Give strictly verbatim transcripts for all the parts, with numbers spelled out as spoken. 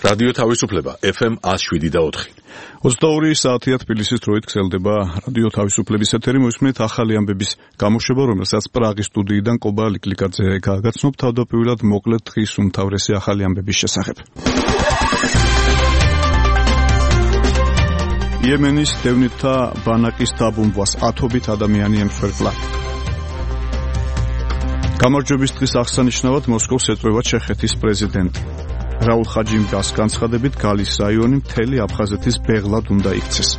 რადიო თავისუფლება ეფ ემ one oh seven და four. ოცდაორი საათია თბილისის დროით გრძელდება რადიო თავისუფლების ეთერი. მოისმენთ ახალი ამბების გამოშვება, რომელსაც პრაღის სტუდიიდან კობა ლიკლიკაძე გააგრძნობს. თავდაპირველად მოკლედ დღის უმთავრესი ახალი ამბების შესახებ. იემენის დევნილთა ბანაკის დაბომბვას ათობით ადამიანი ემსხვერპლა. გამარჯვების დღის აღსანიშნავად მოსკოვს ეწვევა ჩეხეთის პრეზიდენტი. რაულ ხაჯიმბას განცხადებით გალის რაიონი მთელი აფხაზეთის ბეღლად უნდა იქცეს.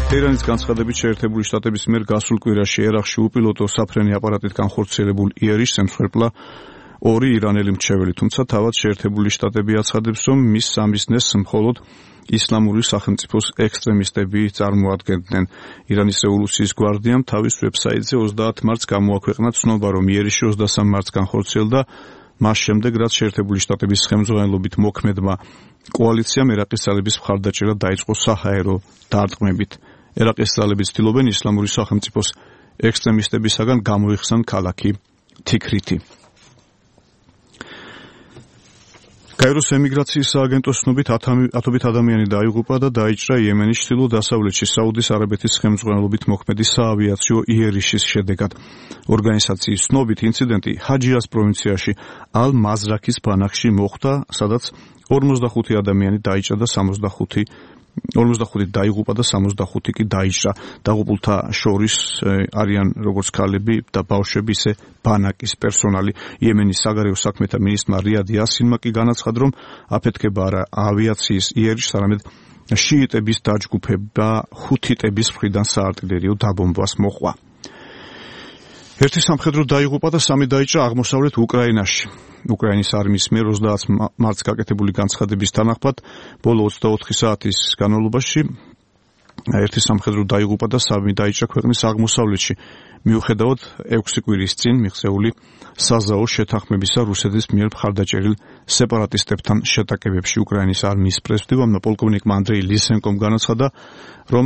თეირანის განცხადებით შეერთებული შტატების მიერ გასულ კვირაში ერაყში უპილოტო საფრენი აპარატით განხორციელებულ იერიშს ემსხვერპლა ორი ირანელი მრჩეველი, თუმცა თავად შეერთებული შტატები აცხადებს, რომ მის სამიზნეს მხოლოდ ისლამური სახელმწიფოს ექსტრემისტები წარმოადგენდნენ. ირანის რევოლუციის გვარდიამ თავის ვებსაიტზე ოცდაათ მარტს გამოაქვეყნა ცნობა, რომ იერიში ოცდასამ მარტს განხორციელდა, მას შემდეგ, რაც შეერთებული შტატების ხელმძღვანელობით მოქმედმა კოალიციამ ერაყის ძალების მხარდაჭერა დაიწყო საჰაერო დარტყმებით. ერაყის ძალები ცდილობენ ისლამური სახელმწიფოს ექსტრემისტებისაგან გამოიხსნან ქალაქი თიქრითი. კაიროს ემიგრაციის სააგენტოს ცნობით ათობით ადამიანი დაიღუპა და დაიჭრა იემენის ჩრდილო-დასავლეთში საუდის არაბეთის ხელმძღვანელობით მოქმედი საავიაციო იერიშის შედეგად. ორგანიზაციის ცნობით ინციდენტი ჰაჯიას პროვინციაში ალ-მაზრაქის ბანაკში მოხდა, სადაც ორმოცდახუთი ადამიანი დაიჭრა და სამოცდახუთი ორმოცდახუთი დაიღუპა და სამოცდახუთი კი დაიჭრა. დაღუპულთა შორის არიან როგორც ქალები და ბავშვები, ისე ბანაკის პერსონალი. იემენის საგარეო საქმეთა მინისტრმა რიად იასინმა კი განაცხადა, რომ აფეთქება არა ავიაციის იერიშს, არამედ შიიტების დაჯგუფება ჰუთიტების მხრიდან საარტილერიო დაბომბვას მოყვა. ერთი სამხედრო დაიღუპა და სამი დაიჭრა აღმოსავლეთ უკრაინაში. უკრაინის არმიის მიერ ოცდაათ მარტს გაკეთებული განცხადების თანახმად, ბოლო ოცდაოთხი საათის განმავლობაში ერთი სამხედრო დაიღუპა და სამი დაიჭრა ქვეყნის აღმოსავლეთში, მიუხედავად ექვსი კვირის წინ მიღწეული საზაო შეთანხმებისა რუსეთის მიერ მხარდაჭერილ სეპარატისტებთან შეტაკებებში. უკრაინის არმიის პრეზიდენტმა პოლკოვნიკმა ანდრეი ლისენკომ განაცხადა, რომ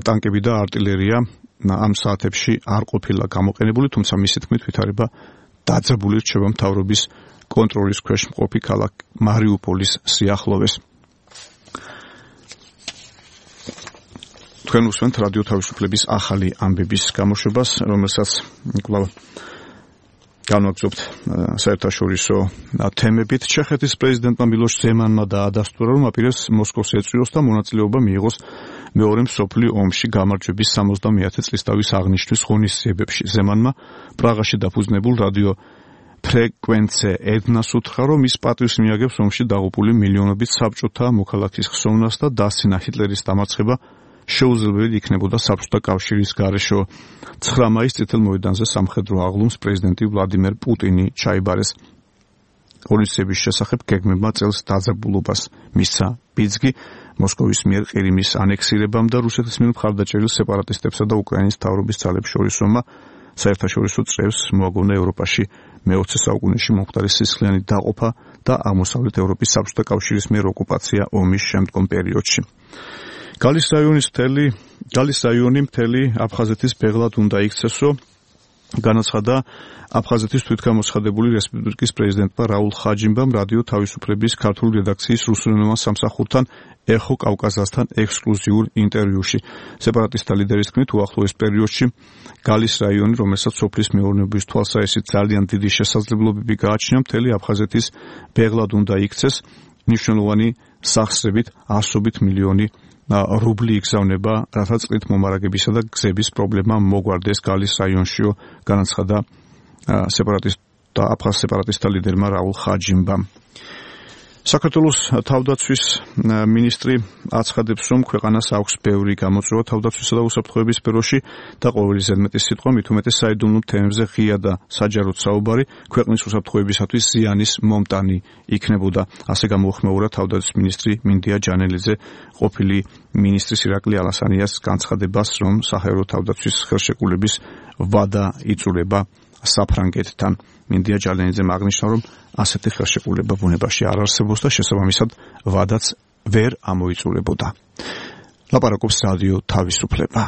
ტანკები და არტილერია ამ საათებში არ ყოფილა გამოყენებული, თუმცა მისი თქმით ვითარება დაძაბული რჩება მთავრობის კონტროლის ქვეშ მყოფი ქალაქ მარიუპოლის სიახლოვეს. თქვენ უსმენთ რადიო თავისუფლების ახალი ამბების გამოშვებას, რომელსაც კვლავ განვაგრძობთ საერთაშორისო თემებით. ჩეხეთის პრეზიდენტმა მილოშ ზემანმა დაადასტურა, რომ აპირებს მოსკოვს ეწვიოს და მონაწილეობა მიიღოს მეორე მსოფლიო ომში გამარჯვების სამოცდამეათე წლისთავის აღნიშვნის ღონისძიებებში. ზემანმა პრაღაში დაფუძნებულ რადიო ფრეკვენცე ედნას უთხრა, რომ ის პატივს მიაგებს ომში დაღუპული მილიონობით საბჭოთა მოქალაქის ხსოვნას და დასცინა ჰიტლერის დამარცხება შეუძლებელი იქნებოდა საბჭოთა კავშირის გარეშე. ცხრა მაისს წითელ მოედანზე სამხედრო აღლუმს პრეზიდენტი ვლადიმერ პუტინი ჩაიბარეს. ღონისძიების შესახებ გეგმებმა წელს დაძაბულობას მისცა ბიძგი მოსკოვის მიერ ყირიმის ანექსირებამ და რუსეთის მიერ მხარდაჭერილ სეპარატისტებსა და უკრაინის მთავრობის ძალებს შორის ომმა საერთაშორისო წრეს მოაგონა ევროპაში მეოცე საუკუნეში მომხდარი სისხლიანი დაყოფა და აღმოსავლეთ ევროპის საბჭოთა კავშირის მიერ ოკუპაცია ომის შემდგომ პერიოდში. გალის რაიონის მთელი გალის რაიონი მთელი აფხაზეთის ბეღლად უნდა იქცესო, განაცხადა აფხაზეთის თვითგამოცხადებული რესპუბლიკის პრეზიდენტმა რაულ ხაჯიმბამ რადიო თავისუფლების ქართული რედაქციის რუსულენოვან სამსახურთან ეხო კავკაზასთან ექსკლუზიურ ინტერვიუში. სეპარატისტთა ლიდერის თქმით, უახლოეს პერიოდში გალის რაიონი, რომელსაც სოფლის მეურნეობის თვალსაჩინო ძალიან დიდი შესაძლებლობები გააჩნია, მთელი აფხაზეთის ბეღლად უნდა იქცეს. მნიშვნელოვანი სახსრებით ასობით მილიონი რუბლი იგზავნება, რათა წყლით მომარაგებისა და გზების პრობლემა მოგვარდეს გალის რაიონშიო, განაცხადა სეპარატისტთა აფხაზ სეპარატისტთა ლიდერმა რაულ ხაჯიმბამ. საქართველოს თავდაცვის მინისტრი აცხადებს, რომ ქვეყანას აქვს ბევრი გამოწვევა თავდაცვისა და უსაფრთხოების სფეროში და ყოველი ზედმეტი სიტყვა მით უმეტეს საიდუმლო თემებზე ღია და საჯაროდ საუბარი ქვეყნის უსაფრთხოებისათვის ზიანის მომტანი იქნებოდა. ასე გამოუხმეურა თავდაცვის მინისტრი მინდია ჯანელიძე ყოფილი მინისტრის ირაკლი ალასანიას განცხადებას, რომ საჰაერო თავდაცვის ხელშეკრულების ვადა იწურება საფრანგეთთან. მინდია ჯანელიძემ აღნიშნა, რომ ასეთი ხელშეკრულება ბუნებაში არ არსებობს და შესაბამისად ვადაც ვერ ამოიწურებოდა. ლაპარაკობს რადიო თავისუფლება.